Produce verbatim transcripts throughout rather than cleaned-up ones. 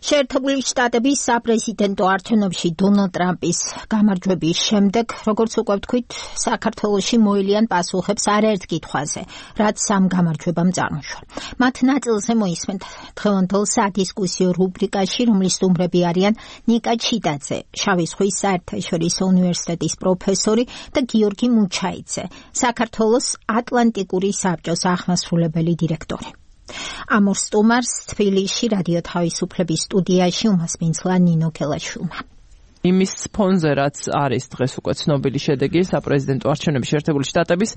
შეერთებული შტატების საპრეზიდენტო არჩევნებში დონალდ ტრამპის გამარჯვების შემდეგ, როგორც უკვე ვთქვით, საქართველოში მოელიან პასუხებს არაერთ კითხვაზე, რაც ამ გამარჯვებამ წარმოშვა. მათ ნაწილზე მოისმენთ დღევანდელ სადისკუსიო რუბრიკაში, რომლის სტუმრები არიან ნიკა ჩიტაძე, შავი ზღვის საერთაშორისო უნივერსიტეტის პროფესორი და გიორგი მუჩაიძე, საქართველოს ატლანტიკური საბჭოს აღმასრულებელი დირექტორი. ამ ორ სტუმარს თბილისში რადიო თავისუფლების სტუდიაში უმასპინძლა ნინო კელაშვილმა. იმის ფონზე, რაც არის დღეს უკვე ცნობილი შედეგი საპრეზიდენტო არჩევნების შეერთებული შტატების,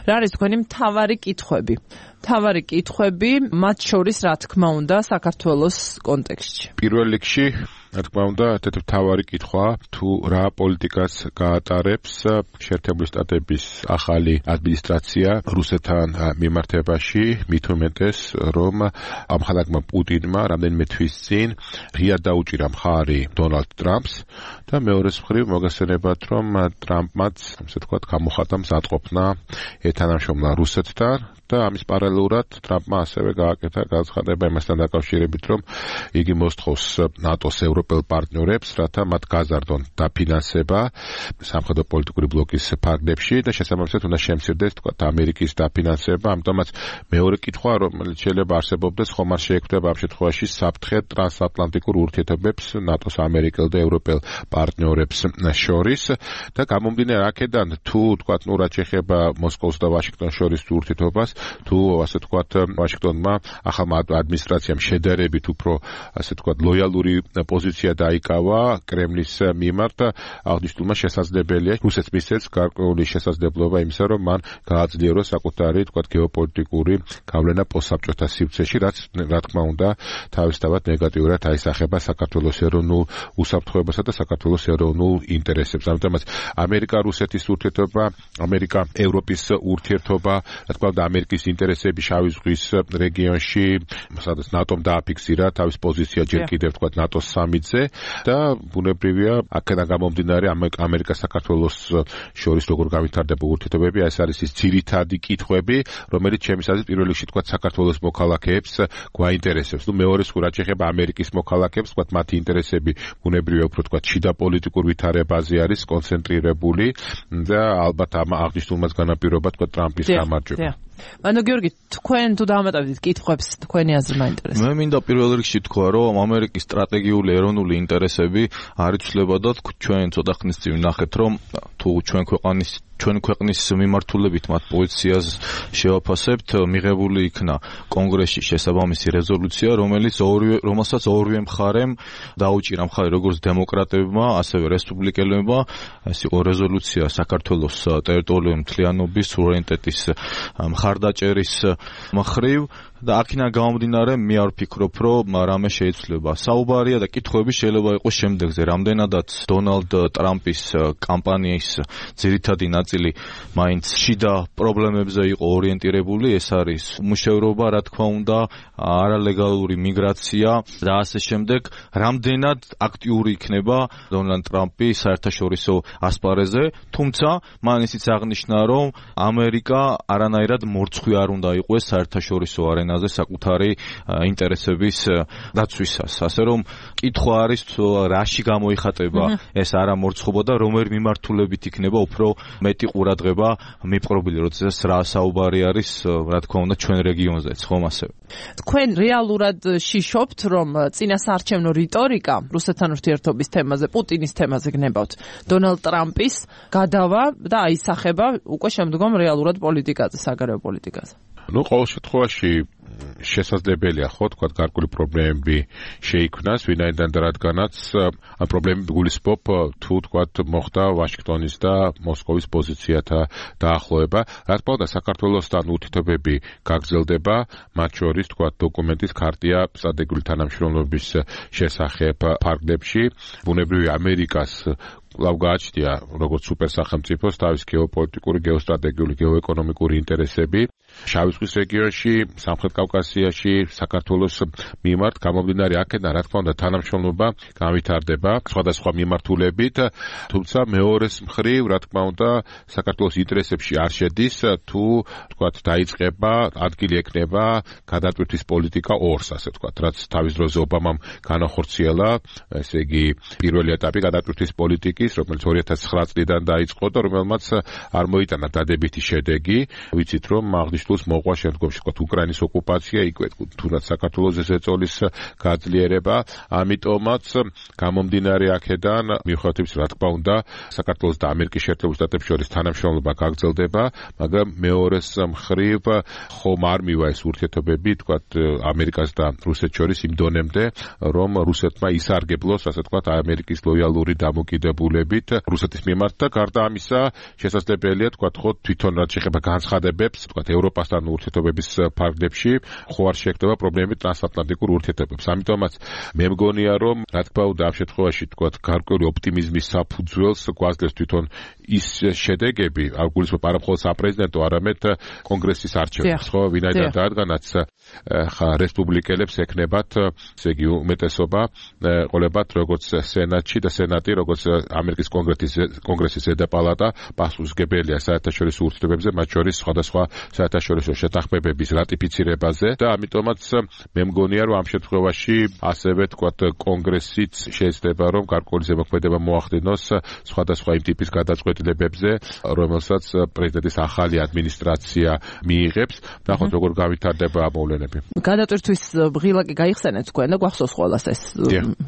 რა არის თქვენი მთავარი კითხვები? მთავარი კითხვები, მათ შორის რა თქმა უნდა საქართველოს კონტექსტში. პირველ რიგში რა თქმა უნდა, ერთ-ერთი მთავარი კითხვა, თუ რა პოლიტიკას გაატარებს შეერთებული შტატების ახალი ადმინისტრაცია რუსეთთან მიმართებაში, მით უმეტეს, რომ ამხანაგმა პუტინმა რამდენიმე თვის წინ ღიად დაუჭირა მხარი დონალდ ტრამპს და მეორეს მხრივ მოგესწრებათ, რომ ტრამპმაც, ასე ვთქვათ, გამოხატა მზადყოფნა ეთანამშრომლა რუსეთთან და ამის პარალელურად ტრამპმა ასევე გააკეთა განცხადება იმასთან დაკავშირებით, რომ იგი მოსთხოვს ნატოს ევროპელ პარტნიორებს, რათა მათ გაზარდონ დაფინანსება სამხედრო პოლიტიკური ბლოკის ფარგლებში და შესაბამისად უნდა შემცირდეს თქვათ ამერიკის დაფინანსება, ამიტომაც მეორე კითხვა, რომელიც შეიძლება არსებობდეს, ხომ არ შეექმნება ამ შემთხვევაში საფრთხე ტრანსატლანტიკურ ურთიერთობებს ნატოს ამერიკელ და ევროპელ პარტნიორებს შორის და გამომდინარე აქედან თუ თქვათ ნუ რაც შეეხება მოსკოვს და ვაშინგტონს შორის ურთიერთობას, თუ ასე თქვათ ვაშინგტონმა ახალმა ადმინისტრაციამ შედარებით უფრო ასე თქვათ ლოიალური პოზიცია დაიკავა კრემლის მიმართ, აღნიშნულმა შესაძლებელია რუსეთს მისცეს გარკვეული შესაძლებლობა იმისა, რომ მან გააძლიეროს საკუთარი თქვათ გეოპოლიტიკური გავლენა პოსტსაბჭოთა სივრცეში, რაც რა თქმა უნდა თავისთავად ნეგატიურად აისახება საქართველოს ეროვნულ უსაფრთხოებასა და საქართველოს ეროვნულ ინტერესებს. ამიტომაც ამერიკა-რუსეთის ურთიერთობა, ამერიკა-ევროპის ურთიერთობა, რა თქმა უნდა ამერიკის ინტერესები შავი ზღვის რეგიონში, სადაც ნატომ დააფიქსირა თავის პოზიცია ჯერ კიდევ თქვათ ნატოს სამიტზე და ბუნებრივია აქედან გამომდინარე ამერიკა-საქართველოს შორის როგორ გავითარდება ურთიერთობები, ეს არის ის ძირითადი კითხვები, რომელიც ჩემი აზრით პირველ რიგში თქვათ საქართველოს მოქალაქეებს გვაინტერესებს. ნუ მეორე სხვა რაც შეეხება ამერიკის მოქალაქეებს, თქვათ მათი ინტერესები ბუნებრივია უფრო თქვათ შიდა პოლიტიკურ ვითარებაზე არის კონცენტრირებული და ალბათ ამ აღნიშნულმაც განაპირობა თქვათ ტრამპის გამარჯვება. ანუ გიორგი, თქვენ თუ დამატებდით კითხვებს, თქვენი აზრი მაინტერესებს. მე მინდა პირველ რიგში თქვა, რომ ამერიკის სტრატეგიული ეროვნული ინტერესები არ იცვლება და ჩვენ ცოტა ხნის წინ ვნახეთ, რომ თუ ჩვენ ქვეყნის ჩვენ ქვეყნის მიმართულებით მათ პოზიციას შევაფასებთ, მიღებული იქნა კონგრესში შესაბამისი რეზოლუცია, რომელიც ორივე რომელსაც ორივე მხარემ დაუჭირა მხარი როგორც დემოკრატებმა, ასევე რესპუბლიკელებმა. ეს იყო რეზოლუცია საქართველოს ტერიტორიული მთლიანობის სუვერენიტეტის მხარდაჭერის მხრივ და აქედან გამომდინარე მე არ ვფიქრობ, რომ რამე შეიცვლება. საუბარია და კითხვები შეიძლება იყოს შემდეგზე, რამდენადაც დონალდ ტრამპის კამპანიის ძირითადი ნაწილი მაინც შიდა პრობლემებზე იყო ორიენტირებული, ეს არის მუშევრობა, რა თქმა უნდა, არალეგალური მიგრაცია და ასე შემდეგ, რამდენად აქტიური იქნება დონალდ ტრამპი საერთაშორისო ასპარეზზე, თუმცა მან ისიც აღნიშნა, რომ ამერიკა არანაირად მორცხვი არ უნდა იყოს საერთაშორისო არენა საკუთარი ინტერესების დაცვისას. ასე რომ კითხვა არის რაში გამოიხატება ეს არამორცხობა და რომელი მიმართულებით იქნება უფრო მეტი ყურადღება მიპყრობილი, როდესაც რა საუბარი არის, რა თქმა უნდა, ჩვენ რეგიონზეც, ხომ ასევე. თქვენ რეალურად შიშობთ, რომ წინასაარჩევნო რიტორიკა რუსეთთან ურთიერთობის თემაზე, პუტინის თემაზე გნებავთ, დონალდ ტრამპის გადავა და აისახება უკვე შემდგომ რეალურად პოლიტიკაზე, საგარეო პოლიტიკაზე. ნუ ყოველ შემთხვევაში შესაძლებელია ხო თქვათ გარკვეული პრობლემები შეიქმნას, ვინაიდან და რადგანაც ამ პრობლემები გულისხმობ თუ თქვათ მოხდა ვაშინგტონის და მოსკოვის პოზიციათა დაახლოება. რა თქმა უნდა საქართველოსთან ურთიერთობები გაგრძელდება, მათ შორის თქვათ დოკუმენტის ქარტია სტრატეგიული თანამშრომლობის შესახებ ფარგლებში. ბუნებრივია ამერიკას კვლავ გააჩნია როგორც სუპერსახელმწიფოს თავის გეოპოლიტიკური, გეოსტრატეგიული, გეოეკონომიკური ინტერესები. შავი ზღვის რეგიონში, სამხრეთ კავკასიის კავკასიაში საქართველოს მიმართ გამომდინარე აქედან რა თქმა უნდა თანამშრომლობა განვითარდება სხვადასხვა მიმართულებით, თუმცა მეორეს მხრივ რა თქმა უნდა საქართველოს ინტერესებში არ შედის თუ თქვათ დაიწყება ადგილი ექნება გადატვირთვის პოლიტიკა ორს, ასე ვთქვათ, რაც თავის დროზე ობამამ განახორციელა, ესე იგი პირველი ეტაპი გადატვირთვის პოლიტიკის, რომელიც ორი ათას ცხრა წლიდან დაიწყო და რომელმაც არ მოიტანა დადებითი შედეგი. ვიცით რომ აღნიშნულს მოყვა შემდგომში ვთქვათ უკრაინის ოკუპაცია, იქვე თუნდაც საქართველოს ზეწოლის გაძლიერება, ამიტომაც გამომდინარე აქედან მიუხედავად რა თქმა უნდა საქართველოს და ამერიკის შეერთებულ შტატებს შორის თანამშრომლობა გაგრძელდება, მაგრამ მეორეს მხრივ ხომ არ მივა ეს ურთიერთობები თქვათ ამერიკას და რუსეთს შორის იმ დონემდე, რომ რუსეთმა ისარგებლოს, ასე თქვათ, ამერიკის ლოიალური დამოკიდებულებით რუსეთის მიმართ და გარდა ამისა შესაძლებელია თქვათ ხო თვითონ რაც შეეხება განცხადებებს, თქვათ ევროპასთან ურთიერთობების ფარგლებში ხო არ შეექმნება პრობლემები ტრანსატლანტიკურ ურთიერთობებს. ამიტომაც მე მგონია რომ რა თქმა უნდა ამ შემთხვევაში თქვათ გარკვეული ოპტიმიზმის საფუძველს გვაძლევს თვითონ ის შედეგები, არ გულისხმობ არა მხოლოდ საპრეზიდენტო, არამედ კონგრესის არჩევნებს, ხო, ვინაიდან რადგანაც ხა რესპუბლიკელებს ექნებათ, ესე იგი უმეტესობა ყოლებათ როგორც სენატში და სენატი როგორც ამერიკის კონგრესის კონგრესის ზედაპალატა პასუხისმგებელია საერთაშორისო ურთიერთობებზე, მათ შორის სხვადასხვა საერთაშორისო შეთანხმებების რატიფიცირებაზე და ამიტომაც მე მგონია რომ ამ შემთხვევაში ასევე თქვათ კონგრესიც შეიძლება რომ გარკვეული ზემოქმედება მოახდინოს სხვადასხვა იმ ტიპის გადაწყვეტილებებზე, რომელსაც პრეზიდენტის ახალი ადმინისტრაცია მიიღებს. ნახოთ როგორ გავითარდება ამ მოვლენები. გადატვირთვის ღილაკი გაიხსენეთ თქვენ და გვახსოვს ყველას ეს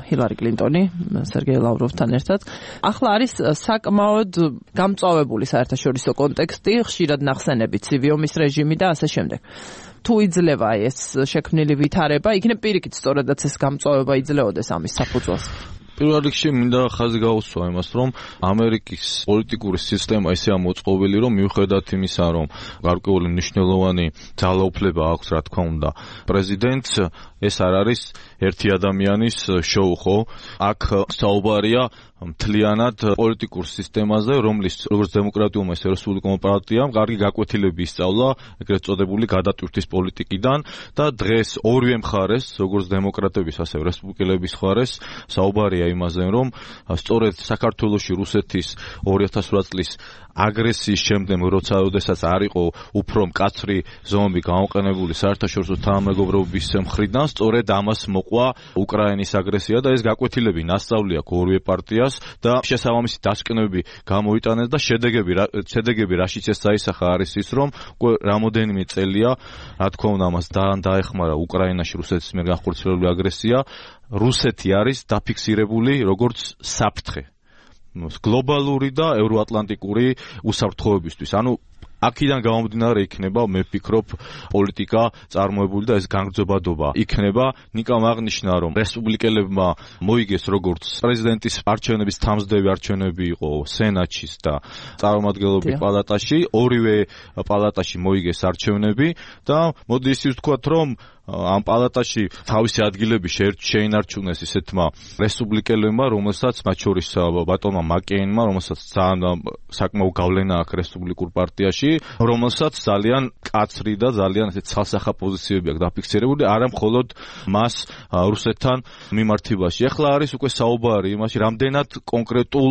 ჰილარი კლინტონი სერგეი ლავროვთან ერთად. ახლა არის საკმაოდ გამწვავებული საერთაშორისო კონტექსტი, ხშირად ნახსენები ცივი ომის რეჟიმი და ასე შემდეგ. თუ იძლევა ეს შექმნილი ვითარება, იქნებ პირიქით სწორედაც ეს გამწვავება იძლეოდეს ამის საფუძველს. პირველ რიგში მინდა ხაზი გაუსვა იმას, რომ ამერიკის პოლიტიკური სისტემა ისეა მოწყობილი, რომ მიუხედავად იმისა, რომ გარკვეული მნიშვნელოვანი ძალაუფლება აქვს, რა თქმა უნდა, პრეზიდენტს, ეს არ არის ერთი ადამიანის შოუ, ხო? აქ საუბარია მთლიანად პოლიტიკურ სისტემაზე, რომლის როგორც დემოკრატიულმა ისე რესპუბლიკურმა პარტიამ კარგი გაკვეთილები ისწავლა ეგრეთ წოდებული გადატვირთვის პოლიტიკიდან და დღეს ორივე მხარეს, როგორც დემოკრატების, ასევე რესპუბლიკელების მხარეს, საუბარია იმაზე, რომ სწორედ საქართველოში რუსეთის ორი ათას ორი წლის აგრესიის შემდეგ, როცა ოდესაც არ იყო უფრო მკაცრი ზომები გამოყენებული საერთაშორისო თანამეგობრობის მხრიდან, სწორედ ამას მოყვა უკრაინის აგრესია და ეს გაკვეთილები ნასწავლი აქვს ორივე პარტიას და შესაბამისი დასკვნები გამოიტანეს და შედეგები შედეგები რაშიც ეს საისახა არის ის, რომ რამოდენიმე წელია, რა თქმა უნდა, ამას დაეხმარა უკრაინაში რუსეთის მიერ განხორციელებული აგრესია, რუსეთი არის დაფიქსირებული როგორც საფრთხე გლობალური და ევროატლანტიკური უსაფრთხოებისთვის. ანუ აქედან გამომდინარე იქნება, მე ვფიქრობ, პოლიტიკა წარმოებული და ეს განგრძობადობა იქნება. ნიკამ აღნიშნა, რომ რესპუბლიკელებმა მოიგეს როგორც პრეზიდენტის არჩევნების თამსდევი არჩევნები იყო სენატში და წარმომადგენლობის პალატაში, ორივე პალატაში მოიგეს არჩევნები და მოდი ისიც ვთქვათ, რომ ამ პალატაში თავისი ადგილები შეინარჩუნეს ისეთმა რესპუბლიკელებმა, რომელსაც მათ შორის ბატონმა მაკეინმა, რომელსაც ძალიან საკმაო გავლენა აქვს რესპუბლიკურ პარტიაში, რომელსაც ძალიან კაცრი და ძალიან ესეთ ცალსახა პოზიციები აქვს დაფიქსირებული, არა მხოლოდ მას რუსეთთან მიმართებაში. ახლა არის უკვე საუბარი იმაში, რამდენად კონკრეტულ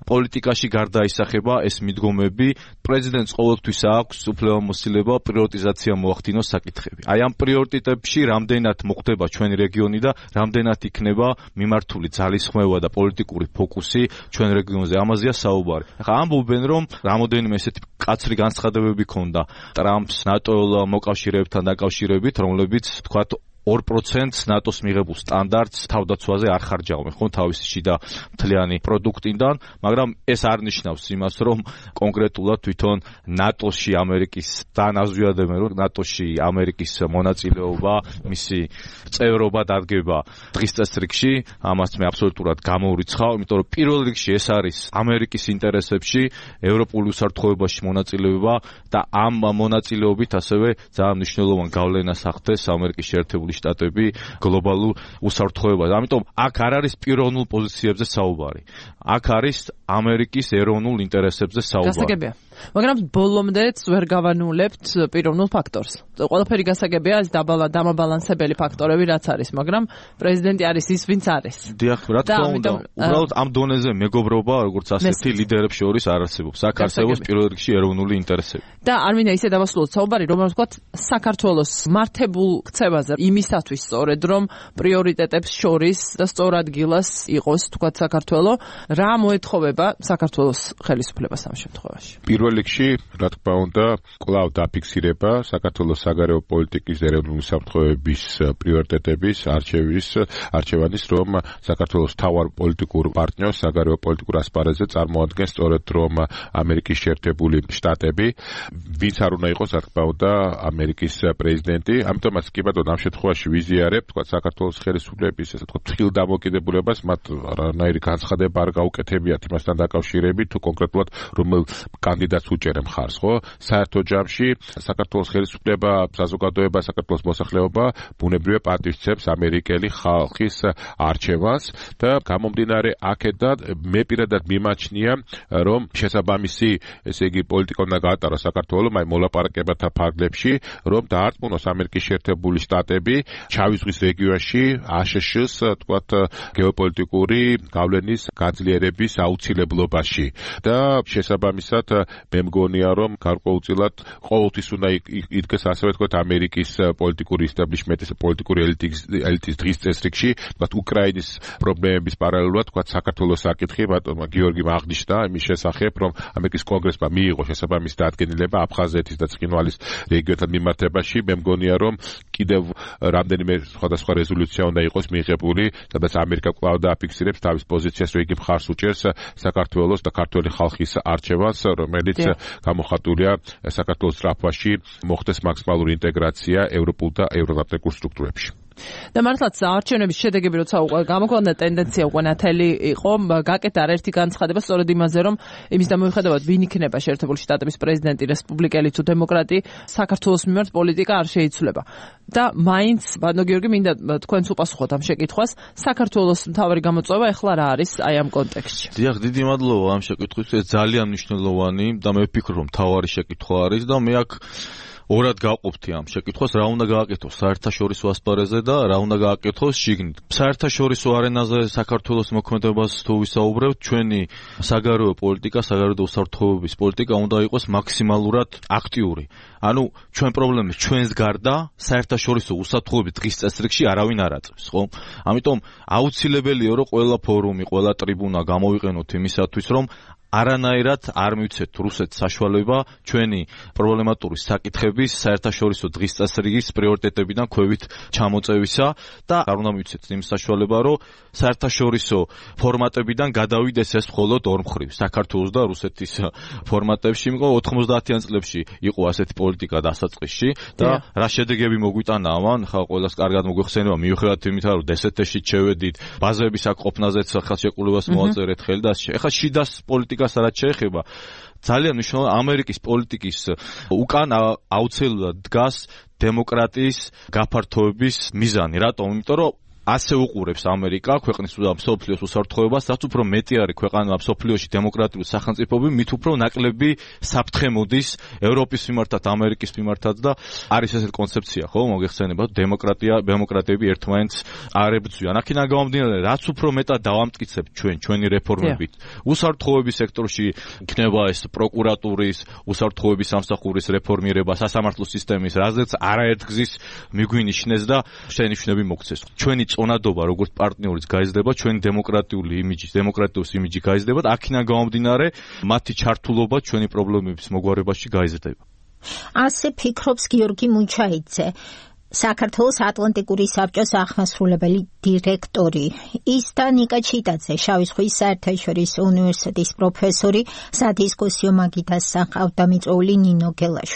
პოლიტიკაში გარდაისახება ეს მიდგომები. პრეზიდენტს ყოველთვის აქვს უფლებამოსილება პრიორიტიზაცია მოახდინოს საკითხები. აი ამ პრიორიტეტებში რამდენად მოხდება ჩვენი რეგიონი და რამდენად იქნება მიმართული ძალისხმევა და პოლიტიკური ფოკუსი ჩვენ რეგიონზე. ამაზეა საუბარი. ახლა ამბობენ, რომ რამოდენიმე ესეთი კაცრი განცხადებები ქონდა ტრამპს ნატო მოკავშირეებთან დაკავშირებით, რომლებიც თქვათ ორ პროცენტს ნატოს მიღებულ სტანდარტს თავდაცვაზე არ ხარჯავენ, ხო, თავისი შიდა მთლიანი პროდუქტიდან, მაგრამ ეს არ ნიშნავს იმას, რომ კონკრეტულად თვითონ ნატოში ამერიკის დანაზვიადებენ, რომ ნატოში ამერიკის მონაწილეობა, მისი წევრობა დადგება დღის წესრიგში, ამას მე აბსოლუტურად გამოურიცხავ, იმიტომ რომ პირველ რიგში ეს არის ამერიკის ინტერესებში, ევროპული უსაფრთხოებაში მონაწილეობა და ამ მონაწილეობით ასევე ძალიან მნიშვნელოვან გავლენას ახდენს ამერიკის შეერთებული შტატები გლობალურ უსაფრთხოებაზე. ამიტომ აქ არ არის პიროვნულ პოზიციებზე საუბარი. აქ არის ამერიკის ეროვნულ ინტერესებზე საუბარი. გასაგებია. მაგრამ ბოლომდეც ვერ გავანულებთ პიროვნულ ფაქტორს. ყველაფერი გასაგებია ეს დამაბალანსებელი ფაქტორები რაც არის, მაგრამ პრეზიდენტი არის ის, ვინც არის. დიახ, რა თქმა უნდა, უბრალოდ ამ დონეზე მეგობრობა, როგორც ასეთი ლიდერებს შორის არ არსებობს. აქ არსებობს პირველ რიგში ეროვნული ინტერესები. და არ მინდა ისე დავასრულოთ საუბარი, რომ ვთქვათ, საქართველოს მართებულ ქცევაზე იმისათვის სწორედ რომ პრიორიტეტებს შორის და სწორ ადგილას იყოს, ვთქვათ, საქართველო, რა მოეთხოვება საქართველოს ხელისუფლებას ამ შემთხვევაში. პირველ რიგში, რა თქმა უნდა, კვლავ დაფიქსირება საქართველოს საგარეო პოლიტიკის ეროვნული უსაფრთხოების პრიორიტეტების არჩევის არჩევანის, რომ საქართველოს თავარ პოლიტიკურ პარტნიორს საგარეო პოლიტიკურ ასპარეზზე წარმოადგენს სწორედ რომ ამერიკის შეერთებული შტატები, ვინც არ უნდა იყოს, რა თქმა უნდა, ამერიკის პრეზიდენტი. ამიტომაც კი ბატონო, ამ შემთხვევაში ვიზიარებ, თქვა საქართველოს ხელისუფლების, ასე ვთქვათ, თხილდამოკიდებულებას, მათ რანაირი განცხადება არ გაუკეთებიათ იმასთან დაკავშირებით, თუ კონკრეტულად რომელ კანდიდატს უჭერენ მხარს, ხო? საერთო ჯამში საქართველოს ხელისუფლება, საზოგადოება, საქართველოს მოსახლეობა ბუნებრივია პატივისცემს ამერიკელი ხალხის არჩევანს და გამომდინარე აქედან მე პირადად მიმაჩნია, რომ შესაბამისი, ესე იგი, პოლიტიკა უნდა გაატაროს საქართველოს აი მოლაპარაკებათა ფარგლებში, რომ დაარწმუნოს ამერიკის შეერთებული შტატები ჩავიზღვის რეგიონში აშშ-ს, თქვათ, გეოპოლიტიკური გავლენის გაძლიერების აუცილებლობაში და შესაბამისად მე მგონია, რომ გარკვეულწილად ყოველთვის უნდა იდგეს ასევე თქვათ ამერიკის პოლიტიკური ისტაბლიშმენტის პოლიტიკური ელიტის დღის წესრიგში, თქვათ უკრაინის პრობლემების პარალელურად, თქვათ საქართველოს საკითხი, ბატონმა გიორგიმ აღნიშნა იმის შესახებ, რომ ამერიკის კონგრესმა მიიღო შესაბამისი დადგენილება აფხაზეთის და ცხინვალის რეგიონთან მიმართებაში. მე მგონია, რომ კიდევ რამდენიმე სხვადასხვა რეზოლუცია უნდა იყოს მიიღებული, სადაც ამერიკა კვლავ დააფიქსირებს თავის პოზიციას, რომ იგი მხარს უჭერს საქართველოს და ქართველი ხალხის არჩევანს, რომელიც გამოხატულია საქართველოს სწრაფაში მოხდეს მაქსიმალური ინტეგრაცია ევროპულ და ევროატლანტიკურ სტრუქტურებში. და მართლაც არჩევნების შედეგები როცა უკვე გამოქვეყნდა ტენდენცია უკვე ნათელი იყო, გაკეთა არაერთი განცხადება სწორედ იმაზე, რომ იმის დამოიხედავად ვინ იქნება შეერთებული შტატების პრეზიდენტი, რესპუბლიკელი თუ დემოკრატი, საქართველოს მიმართ პოლიტიკა არ შეიცვლება. და მაინც, ბატონო გიორგი, მინდა თქვენს უპასუხოთ ამ შეკითხვას, საქართველოს მთავარი გამოწვევა ეხლა რა არის აი ამ კონტექსტში? დიახ, დიდი მადლობა ამ შეკითხვისთვის, ძალიან მნიშვნელოვანი და მე ვფიქრობ, რომ მთავარი შეკითხვა არის და მე აქ ორად გავყოფთი ამ შეკითხვას, რა უნდა გააკეთოს საერთაშორისო ასპარეზზე და რა უნდა გააკეთოს შიგნით. საერთაშორისო არენაზე საქართველოს მოქმედებას თუ ვისაუბრებთ, ჩვენი საგარეო პოლიტიკა, საგარეო უსაფრთხოების პოლიტიკა უნდა იყოს მაქსიმალურად აქტიური. ანუ ჩვენ პრობლემებს ჩვენს გარდა საერთაშორისო უსაფრთხოების დღის წესრიგში არავინ არ აწევს, ხო? ამიტომ აუცილებელია, რომ ყველა ფორუმი, ყველა ტრიბუნა გამოვიყენოთ იმისათვის, რომ არანაირად არ მივცეთ რუსეთს საშუალება ჩვენი პრობლემატური საკითხების საერთაშორისო დღის წესრიგის პრიორიტეტებიდან ქვევით ჩამოწევისა და არ უნდა მივცეთ იმ საშუალება, რომ საერთაშორისო ფორმატებიდან გადავიდეს ეს მხოლოდ ორ მხრივ, საქართველოს და რუსეთის ფორმატებში, იმიტომ ოთხმოცდაათიან წლებში იყო ასეთი პოლიტიკა დასაწყისში და რა შედეგები მოგვიტანა ამან, ხა ყველას კარგად მოგვიხსენება, მიუხედავად იმისა, რომ დსთ-ში შევედით, ბაზების აქ ყოფნაზეც ხელშეკრულებას მოაწერეთ ხელი და ეხლა შიდას პოლიტიკას რაც შეეხება, ძალიან მნიშვნელოვანი ამერიკის პოლიტიკის უკან აუცილებლად დგას დემოკრატიის გაფართოების მიზანი. რატომ? იმიტომ რომ ასე უყურებს ამერიკა ქვეყნის და მსოფლიოს უსაფრთხოებას, რაც უფრო მეტი არის ქვეყანა მსოფლიოში დემოკრატიული სახელმწიფოები, მით უფრო ნაკლები საფრთხე მოდის ევროპის მიმართად, ამერიკის მიმართად და არის ესეთი კონცეფცია, ხო, მოგეხსენება, დემოკრატია, დემოკრატები ერთმანეთს არ ებრძვიან. აქედან გამომდინარე, რაც უფრო მეტად დავამტკიცებთ ჩვენ ჩვენი რეფორმებით, უსაფრთხოების სექტორში იქნება ეს პროკურატურის, უსაფრთხოების სამსახურის რეფორმირება, სასამართლო სისტემის, რაზეც არაერთგზის მიგვინიშნეს და შენიშვნები მოგცეს. ჩვენი წონადობა როგორც პარტნიორის გაიზრდება, ჩვენი დემოკრატიული იმიჯი, დემოკრატიის იმიჯი გაიზრდება და აქედან გამომდინარე, მათი ჩართულობა ჩვენი პრობლემების მოგვარებაში გაიზრდება. ასე ფიქრობს გიორგი მუჩაიძე, საქართველოს ატლანტიკური საბჭოს აღმასრულებელი დირექტორი. ის და ნიკა ჩიტაძე, შავი ზღვის საერთაშორისო უნივერსიტეტის პროფესორი, სადისკუსიო მაგიდას საყავდა მიწვეული ნინო გელაშვილი.